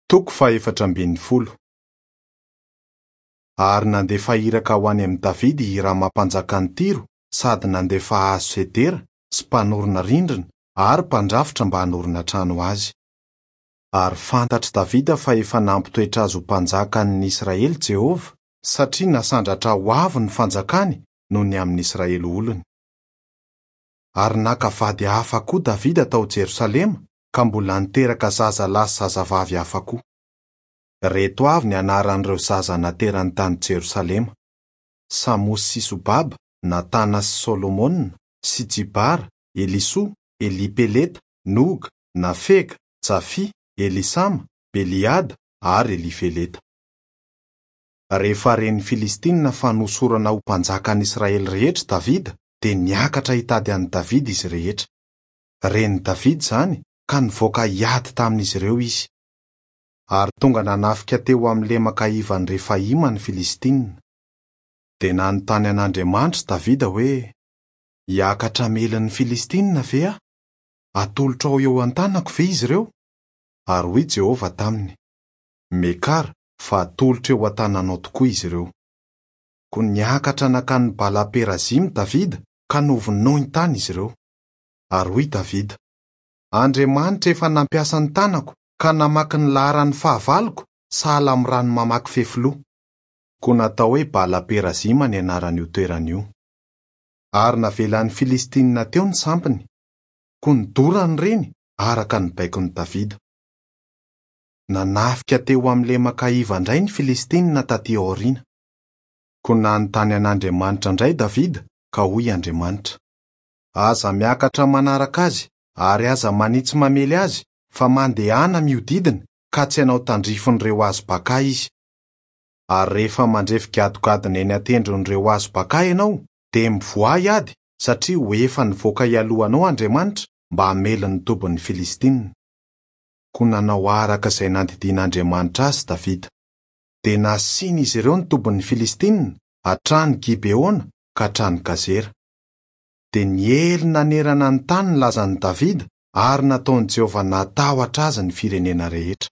Toko fahefatra ambin'ny folo. Ary nandefa iraka ho any amin'i Davida i Hirama mpanjakan'i Tyro sady nandefa hazo sedera sy mpanorina rindrina ary mpandrafitra mba hanorina trano ho azy. Ary fantatr'i Davida fa efa nampitoetra azy ho mpanjakan'ny Israely Jehovah, satria nasandratra ho avo ny fanjakany noho ny amin'i Israely olony. Ary naka vady hafa koa Davida tao Jerosalema ka mbola niteraka zaza lahy sy zazavavy hafa koa. Ireto avy ny anaran'ireo zaza naterany tany Jerosalema, Samosy sy Sobaba, Natana sy Solomona, sy Jibara, Elisoa, Elipeleta, Noga, Nafega, Jafia, Elisama, Beliada ary Elifeleta. Rehefa ren'ny Filistinina fa nohosorana ho mpanjakan'ny Israely rehetra Davida, dia niakatra hitady an'i Davida izy rehetra. Ren'i Davida izany, ka nivoaka hiady tamin'izy ireo izy. Ary tonga nanafika teo amin'ny lemaka ivan'i Refaima ny Filistinina. Dia nanontany an'Andriamanitra Davida hoe, Hiakatra hamely ny Filistinina ve aho? Hatolotrao eo an-tanako ve izy ireo? Ary hoy Jehovah taminy, Miakara, fa hatolotro eo an-tananao tokoa izy ireo. Koa niakatra nankany Bala-perazima Davida, ka novonoiny tany izy ireo. Ary hoy Davida, Andriamanitra efa nampiasa ny tanako ka namaky ny laharan'ny fahavaloko sahala amin'ny rano mamaky fefiloha. Koa natao hoe Bala-perazima ny anaran'io toerana io. Ary navelan'ny Filistinina teo ny sampiny. Koa nodorany ireny araka ny baikon'i Davida. Nanafika teo amin'ny lemaka iva indray ny Filistinina tatỳ aoriana. Koa nanontany an'Andriamanitra indray Davida, ka hoy Andriamanitra, Aza miakatra manaraka azy, ary aza manitsy mamely azy, fa mandehana mihodidina, ka tsy hanao tandrifin'ireo hazo bakà izy. Ary rehefa mandrefy gadogadona eny an-tendron'ireo hazo bakà ianao, dia mivoaha hiady, satria ho efa nivoaka hialoha anao Andriamanitra mba hamely ny tobin'ny Filistinina. Koa nanao araka izay nandidian'Andriamanitra azy Davida. Dia nasian'izy ireo ny tobin'ny Filistinina, hatrany Gibeona ka hatrany Gazera. Dia niely nanerana ny tany ny lazan'i Davida, ary nataon'i Jehovah natahotra azy ny firenena rehetra.